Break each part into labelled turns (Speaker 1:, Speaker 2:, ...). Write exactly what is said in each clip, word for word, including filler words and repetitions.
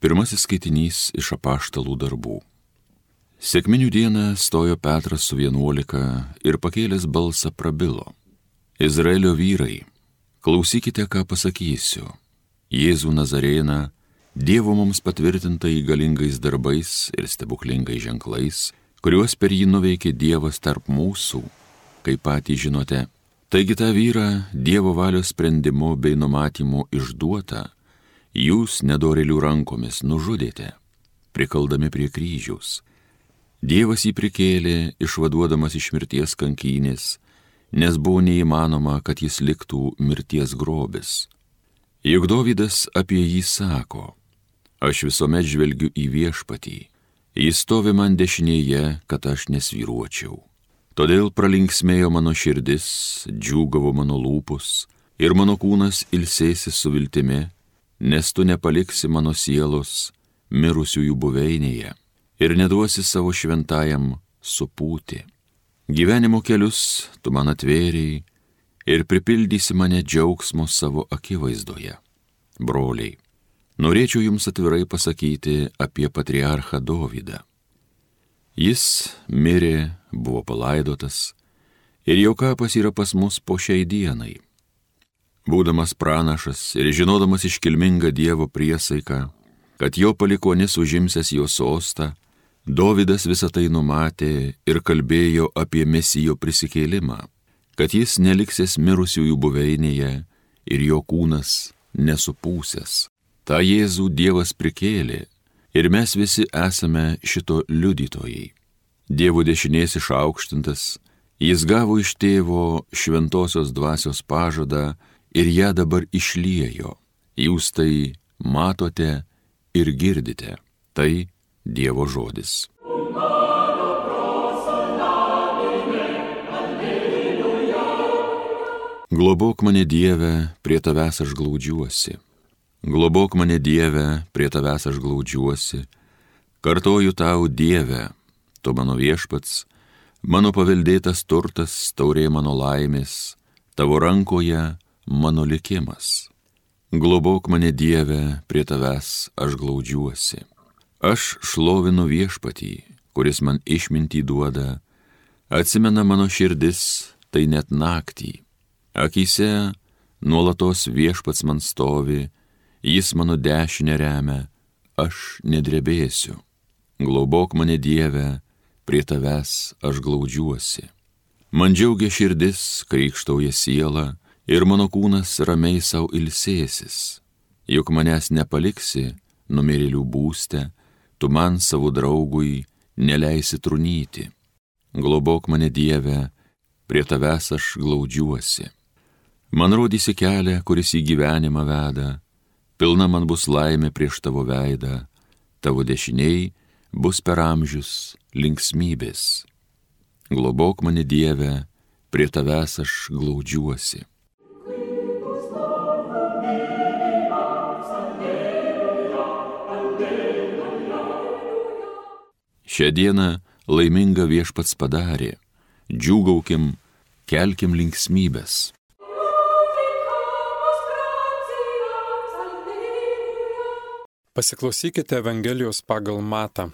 Speaker 1: Pirmasis skaitinys iš apaštalų darbų. Sekminių dieną stojo Petras su vienuolika ir pakėlęs balsą prabilo. Izraelio vyrai, klausykite, ką pasakysiu. Jėzų Nazarėną, Dievo mums patvirtintai galingais darbais ir stebuklingais ženklais, kuriuos per jį nuveikė Dievas tarp mūsų, kaip patys žinote. Taigi tą vyrą Dievo valios sprendimu bei numatymu išduotą, jūs nedorėlių rankomis nužudėte, prikaldami prie kryžiaus. Dievas jį prikėlė, išvaduodamas iš mirties kankynės, nes buvo neįmanoma, kad jis liktų mirties grobis. Juk Dovydas apie jį sako, aš visuomet žvelgiu į viešpatį, jis stovi man dešinėje, kad aš nesvyruočiau. Todėl pralinksmėjo mano širdis, džiūgavo mano lūpus ir mano kūnas ilsėsis su viltimi, nes tu nepaliksi mano sielos mirusiųjų buveinėje ir neduosi savo šventajam supūti. Gyvenimo kelius tu man atvėrei ir pripildysi mane džiaugsmo savo akivaizdoje. Broliai, norėčiau jums atvirai pasakyti apie patriarchą Dovydą. Jis mirė, buvo palaidotas ir jo kapas yra pas mus po šiai dienai. Būdamas pranašas ir žinodamas iškilmingą Dievo priesaiką, kad jo palikuonis užimsęs jo sostą, Dovydas visą tai numatė ir kalbėjo apie Mesijo prisikėlimą, kad jis neliksės mirusiųjų buveinėje ir jo kūnas nesupūsęs. Ta Jėzų Dievas prikėlė ir mes visi esame šito liudytojai. Dievo dešinės išaukštintas, jis gavo iš tėvo šventosios dvasios pažadą ir ją dabar išliejo. Jūs tai matote ir girdite. Tai Dievo žodis. Globok mane, Dieve, prie tavęs aš glaudžiuosi. Globok mane, Dieve, prie tavęs aš glaudžiuosi. Kartoju tau, Dieve, tu mano viešpats, mano paveldėtas turtas, taurė mano laimės, tavo rankoje mano likimas. Globok mane, Dieve, prie tavęs aš glaudžiuosi. Aš šlovinu viešpatį, kuris man išmintį duoda, atsimena mano širdis, tai net naktį. Akyse nuolatos viešpats man stovi, jis mano dešinę remia, aš nedrebėsiu. Globok mane, Dieve, prie tavęs aš glaudžiuosi. Man džiaugia širdis, krykštauja siela, ir mano kūnas ramiai sau ilsėsis. Juk manęs nepaliksi numirėlių būste, tu man savo draugui neleisi trunyti. Globok mane, Dieve, prie tavęs aš glaudžiuosi. Man rodysi kelią, kuris į gyvenimą veda, pilna man bus laimė prieš tavo veidą, tavo dešiniai bus per amžius linksmybės. Globok mane, Dieve, prie tavęs aš glaudžiuosi. Šią dieną laimingą viešpats padarė, džiūgaukim, kelkim linksmybės.
Speaker 2: Pasiklausykite Evangelijos pagal Matą.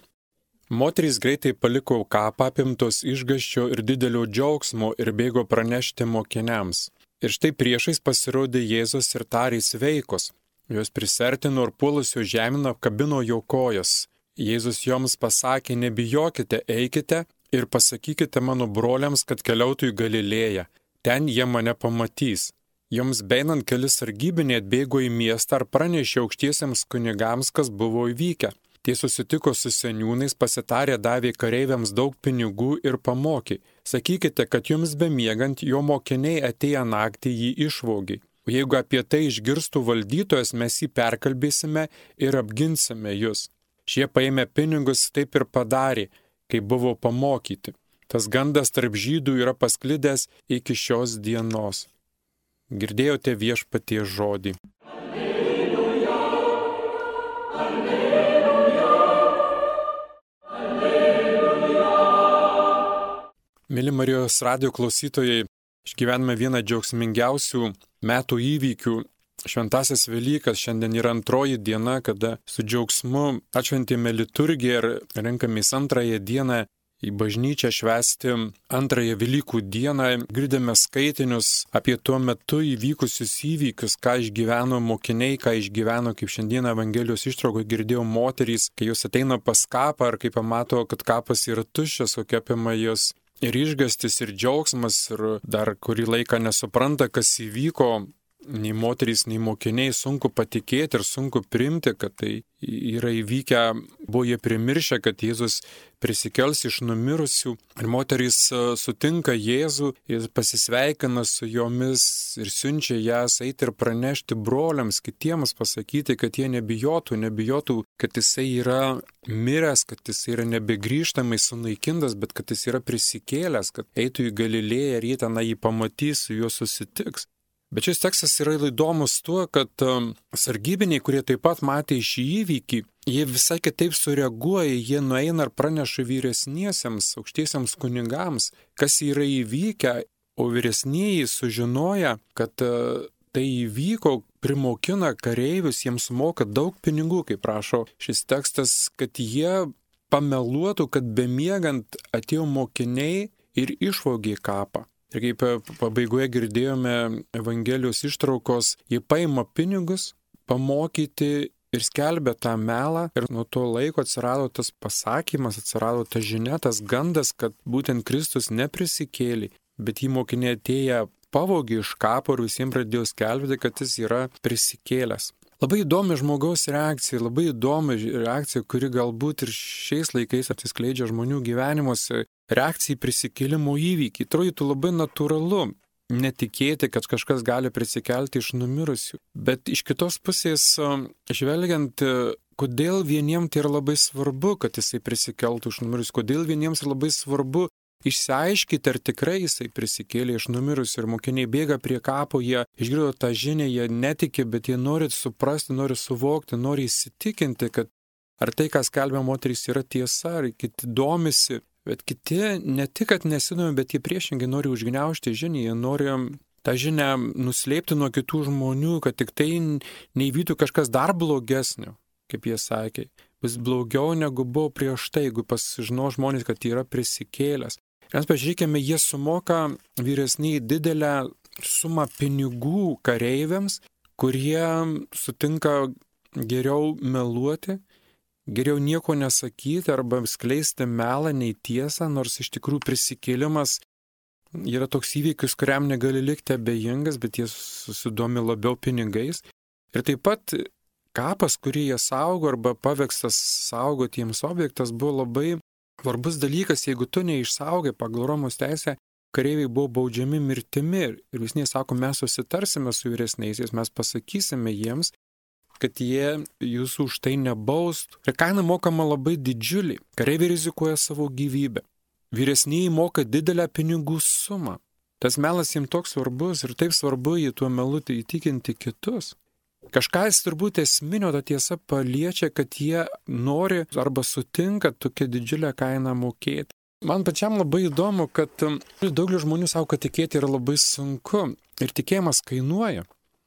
Speaker 2: Moterys greitai paliko kapą apimtos išgąsčio ir didelio džiaugsmo ir bėgo pranešti mokiniams. Ir štai priešais pasirodė Jėzus ir tarė sveikos. Jos prisertino ir puolusio žemino apkabino jo kojas. Jėzus joms pasakė, nebijokite, eikite ir pasakykite mano broliams, kad keliautų į Galilėją. Ten jie mane pamatys. Joms beinant keli sargybiniai atbėgo į miestą ar pranešė aukštiesiems kunigams, kas buvo įvykę. Tie susitiko su seniūnais, pasitarė, davė kareiviams daug pinigų ir pamokė. Sakykite, kad jums bemiegant jo mokiniai atėję naktį jį išvogė. O jeigu apie tai išgirstų valdytojas, mes jį perkalbėsime ir apginsime jūs. Šie paėmė pinigus, taip ir padarė, kai buvo pamokyti. Tas gandas tarp žydų yra pasklidęs iki šios dienos. Girdėjote viešpaties žodį.
Speaker 3: Alleluja, alleluja, alleluja.
Speaker 2: Mėly Marijos radijo klausytojai, išgyvename vieną džiaugsmingiausių metų įvykių šventasis Velykas. Šiandien yra antroji diena, kada su džiaugsmu atšventėme liturgiją ir renkamės antrąją dieną į bažnyčią švęsti antrąją Velykų dieną. Girdime skaitinius apie tuo metu įvykusius įvykius, ką išgyveno mokiniai, ką išgyveno, kaip šiandieną Evangelijos ištraukoje girdėjau moterys, kai jos ateina pas kapą ir kai pamato, kad kapas yra tuščias, kokia apima jos ir išgastis, ir džiaugsmas, ir dar kurį laiką nesupranta, kas įvyko. Nei moterys, nei mokiniai sunku patikėti ir sunku priimti, kad tai yra įvykę, buvo jie primiršę, kad Jėzus prisikels iš numirusių. Ir moterys sutinka Jėzų, jis pasisveikina su jomis ir siunčia jas eiti ir pranešti broliams, kitiems pasakyti, kad jie nebijotų, nebijotų, kad jisai yra miręs, kad jisai yra nebegrįžtamai sunaikintas, bet kad jis yra prisikėlęs, kad eitų į Galilėją ir jie ten jį pamatys, su juo susitiks. Bet šis tekstas yra įdomus tuo, kad sargybiniai, kurie taip pat matė šį įvykį, jie visai kitaip sureaguoja, jie nueina ir praneša vyresniesiems, aukštiesiems kunigams, kas yra įvykę, o vyresnieji sužinoja, kad tai įvyko, primokina kareivius, jiems moka daug pinigų, kaip prašo šis tekstas, kad jie pameluotų, kad bemiegant atėjo mokiniai ir išvogė kapą. Ir kaip pabaigoje girdėjome Evangelijos ištraukos, jie paima pinigus, pamokyti ir skelbia tą melą. Ir nuo to laiko atsirado tas pasakymas, atsirado ta žinia, tas gandas, kad būtent Kristus neprisikėlė, bet jį mokiniai atėję pavogė iš kapo ir visiems pradėjo skelbti, kad jis yra prisikėlęs. Labai įdomi žmogaus reakcija, labai įdomi reakcija, kuri galbūt ir šiais laikais atsiskleidžia žmonių gyvenimuose. Reakcija į prisikėlimo įvykį. Atrodytų labai natūralu netikėti, kad kažkas gali prisikelti iš numirusių. Bet iš kitos pusės, žvelgiant, kodėl vieniems tai yra labai svarbu, kad jisai prisikeltų iš numirusių, kodėl vieniems yra labai svarbu išsiaiškyti, ar tikrai jisai prisikėlė iš numirusių, ir mokiniai bėga prie kapo, jie išgirdo tą žinią, jie netiki, bet jie nori suprasti, nori suvokti, nori įsitikinti, kad ar tai, ką skelbia moterys, yra tiesa, ar kiti domisi. Bet kiti ne tik, kad nesidomi, bet jie priešingai nori užgniaužti žinią, jie nori tą žinią nuslėpti nuo kitų žmonių, kad tik tai neįvyktų kažkas dar blogesnio, kaip jie sakė. Vis blogiau negu buvo prieš tai, jeigu pasižino žmonės, kad yra prisikėlęs. Ir mes pažiūrėkime, jie sumoka vyresniai didelę sumą pinigų kareiviams, kurie sutinka geriau meluoti, geriau nieko nesakyti arba skleisti melą nei tiesą, nors iš tikrųjų prisikėlimas yra toks įvykis, kuriam negali likti abejingas, bet jie susidomi labiau pinigais. Ir taip pat kapas, kurį jie saugo arba pavekstas saugotiems objektas, buvo labai svarbus dalykas. Jeigu tu neišsaugai pagal Romos teisę, kareiviai buvo baudžiami mirtimi. Ir visniai sako, mes susitarsime su vyresniaisiais, mes pasakysime jiems, kad jie jūsų už tai nebaustų. Ir kaina mokama labai didžiulį. Kareiviai rizikuoja savo gyvybę. Vyresnieji moka didelę pinigų sumą. Tas melas jiems toks svarbus ir taip svarbu jį tuo melu įtikinti kitus. Kažkas turbūt esminio ta tiesa paliečia, kad jie nori arba sutinka tokią didžiulę kainą mokėti. Man pačiam labai įdomu, kad daugelis žmonių sako, kad tikėti yra labai sunku. Ir tikėjimas kainuoja.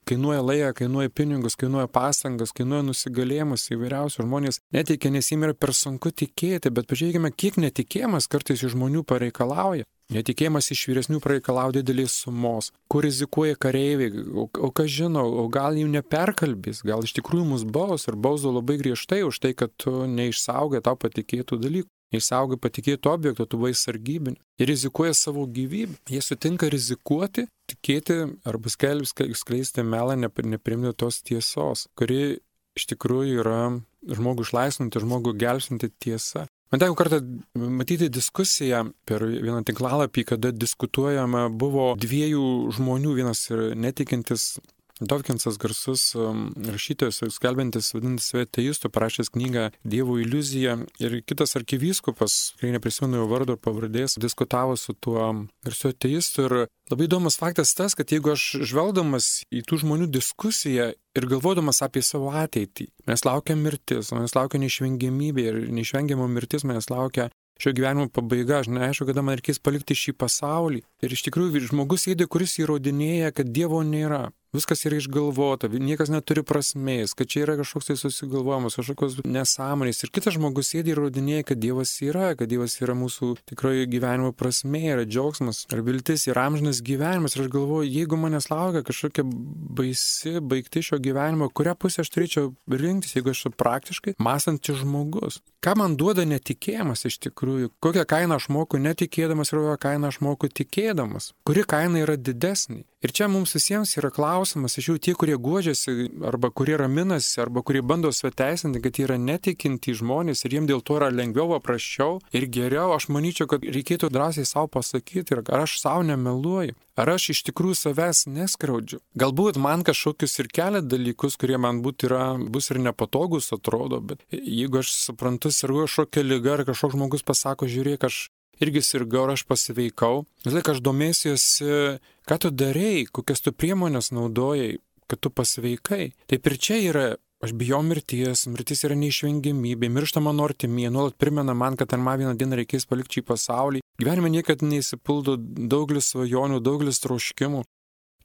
Speaker 2: Kainuoja laiką, kainuoja pinigus, kainuoja pastangas, kainuoja nusigalėjimus įvairiausių. Žmonės neteikia, nes jiems yra per sunku tikėti, bet pažiūrėkime, kiek netikėjimas kartais iš žmonių pareikalauja. Netikėjimas iš vyresnių pareikalauja didelės sumos, kur rizikuoja kareiviai, o, o kas žino, o gal jų neperkalbės, gal iš tikrųjų mus baus ir bausdo labai griežtai už tai, kad tu neišsaugai tau patikėtų dalykų. Neišsaugai patikėtų objektų, tu buvai sargybinis. Jie rizikuoja savo gyvybę. Jie sutinka rizikuoti, tikėti arba skelbti, skleisti melą, neprimti tos tiesos, kuri iš tikrųjų yra žmogų išlaisvinti, žmogų gelbstinti tiesa. Man teko kartą matyti diskusiją per vieną tinklalapį, kada diskutuojama buvo dviejų žmonių, vienas ir netikintis Dawkinsas, garsus rašytojas, skelbiantis, vadintis save ateistu, parašęs knygą Dievo iliuzija, ir kitas arkivyskupas, kai neprisimenu jo vardo ir pavardės, diskutavo su tuo garsiu ateistu. Ir labai įdomus faktas tas, kad jeigu aš žvelgdamas į tų žmonių diskusiją ir galvodamas apie savo ateitį, mes laukia mirtis, mes laukia neišvengiamybė ir neišvengiamo mirtis mes laukia šio gyvenimo pabaiga, aš neaišku, kada man reikės palikti šį pasaulį. Ir iš tikrųjų žmogus sėdi, kuris įrodinėja, kad Dievo nėra. viskas yra išgalvota, niekas neturi prasmės, kad čia yra kažkoks tai susigalvojimas, kažkokios nesąmonės. Ir kitas žmogus sėdi ir rodinėja, kad Dievas yra, kad Dievas yra mūsų tikroji gyvenimo prasmė, yra džiaugsmas, yra viltis, yra amžinas gyvenimas. Ir aš galvoju, jeigu manęs laukia kažkokia baisi baigti šio gyvenimo, kurią pusę aš turėčiau rinktis, jeigu aš esu praktiškai mąstantis žmogus. Ką man duoda netikėjimas iš tikrųjų? Kokią kainą aš moku netikėdamas ir kokią kainą aš moku tikėdamas? Kuri kaina yra didesnė? Ir čia mums visiems yra klausimas, iš jų tie, kurie guodžiasi, arba kurie raminasi, arba kurie bando sveteisinti, kad jie yra netikinti žmonės ir jiems dėl to yra lengviau, paprasčiau ir geriau. Aš manyčiau, kad reikėtų drąsiai savo pasakyti, ar aš savo nemeluoju, ar aš iš tikrųjų savęs neskriaudžiu. Galbūt man kažkokius ir kelia dalykus, kurie man būt yra, bus ir nepatogus atrodo, bet jeigu aš suprantu, sergu kažkokia liga, ar kažkoks žmogus pasako, žiūrėk, aš irgi sirgau, aš pasiveikau. Vis laik aš domėsiuosi, ką tu darei, kokias tu priemonės naudojai, kad tu pasveikai. Taip ir čia yra, aš bijau mirties, mirtis yra neišvengiamybė, miršta mano artimieji, nuolat primena man, kad ar man vieną dieną reikės palikti šį pasaulį. Gyvenime niekad neįsipildo daugelis svajonių, daugelis troškimų.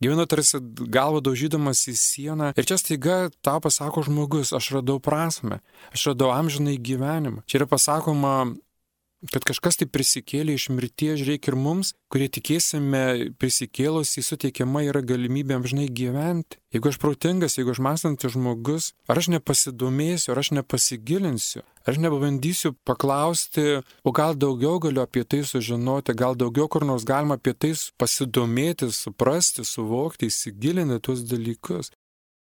Speaker 2: Gyvenu tarsi galvą daužydamas į sieną ir čia staiga tau pasako žmogus, aš radau prasmę, aš radau amžinai gyvenimą. Čia yra pasakoma, kad kažkas tai prisikėlė iš mirties, žiūrėk ir mums, kurie tikėsime prisikėlus, jį suteikiama yra galimybė amžinai gyventi. Jeigu aš protingas, jeigu aš mąstantis žmogus, ar aš nepasidomėsiu, ar aš nepasigilinsiu, ar aš nepabandysiu paklausti, o gal daugiau galiu apie tai sužinoti, gal daugiau kur nors galima apie tai pasidomėti, suprasti, suvokti, įsigilinti tuos dalykus.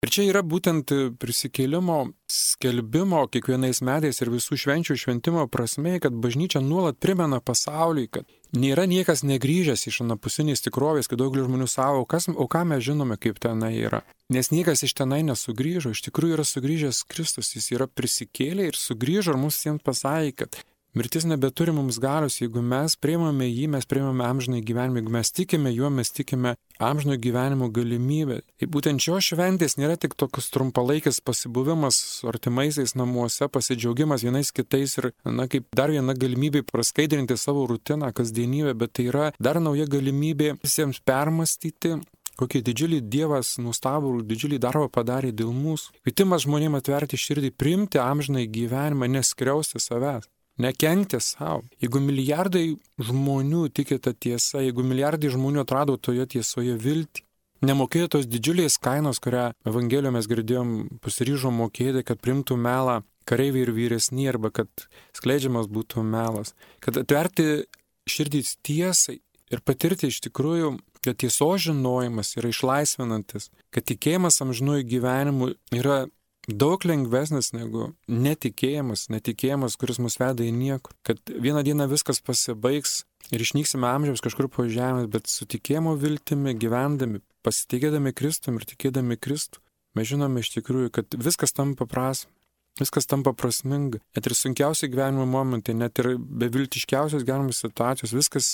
Speaker 2: Ir čia yra būtent prisikėlimo skelbimo kiekvienais metais ir visų švenčių šventimo prasmė, kad bažnyčia nuolat primena pasauliui, kad nėra niekas negrįžęs iš anapusinės tikrovės, kad daugelis žmonių savo, kas, o ką mes žinome, kaip tenai yra. Nes niekas iš tenai nesugrįžo, iš tikrųjų yra sugrįžęs Kristus, jis yra prisikėlė ir sugrįžo ir mums jiems pasakė, kad mirtis nebeturi mums galios, jeigu mes priimame jį, mes priimame amžinai gyvenimą, jeigu mes tikime juo, mes tikime amžino gyvenimo galimybę. Ir būtent šios šventės nėra tik tokius trumpalaikis pasibuvimas su artimaisiais namuose, pasidžiaugimas vienais kitais ir, na, kaip dar viena galimybė praskaidrinti savo rutiną, kasdienybę, bet tai yra dar nauja galimybė visiems permastyti, kokį didžiulį Dievas nuostabų ir didžiulį darbą padarė dėl mūsų. Kvietimas žmonėms atverti širdį, priimti amžinai gyvenimą, neskriausti savęs. Nekenkti savo. Jeigu milijardai žmonių tiki tą tiesą, jeigu milijardai žmonių atrado toje tiesoje viltį, nemokėjo tos didžiulės kainos, kurią Evangelijoje mes girdėjom, pasiryžo mokėti, kad primtų melą kareiviai ir vyresni, arba kad skleidžiamas būtų melas, kad atverti širdį tiesai ir patirti iš tikrųjų, kad tiesos žinojimas yra išlaisvinantis, kad tikėjimas amžinųjų gyvenimų yra daug lengvesnis negu netikėjimas, netikėjimas, kuris mus veda į niekur. Kad vieną dieną viskas pasibaigs ir išnyksime amžiams kažkur po žemės, bet su tikėjimo viltimi gyvendami, pasitikėdami Kristumi ir tikėdami Kristų, mes žinome iš tikrųjų, kad viskas tampa prasme, viskas tampa prasminga. Net ir sunkiausi gyvenimo momentai, net ir beviltiškiausios gyvenimo situacijos, viskas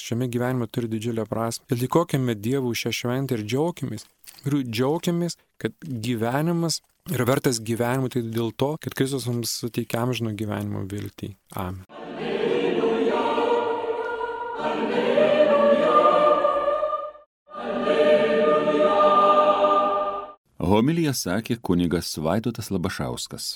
Speaker 2: šiame gyvenime turi didžiulę prasmę. Ir dėkokime Dievui šią šventę ir džiaukimės. Ir džiaukimės, kad gyvenimas yra vertas gyvenimo, tai dėl to, kad Kristus mums suteikia amžino gyvenimo viltį. Amen.
Speaker 3: Alleluja, alleluja, alleluja.
Speaker 1: Homiliją sakė kunigas Vaidotas Labašauskas.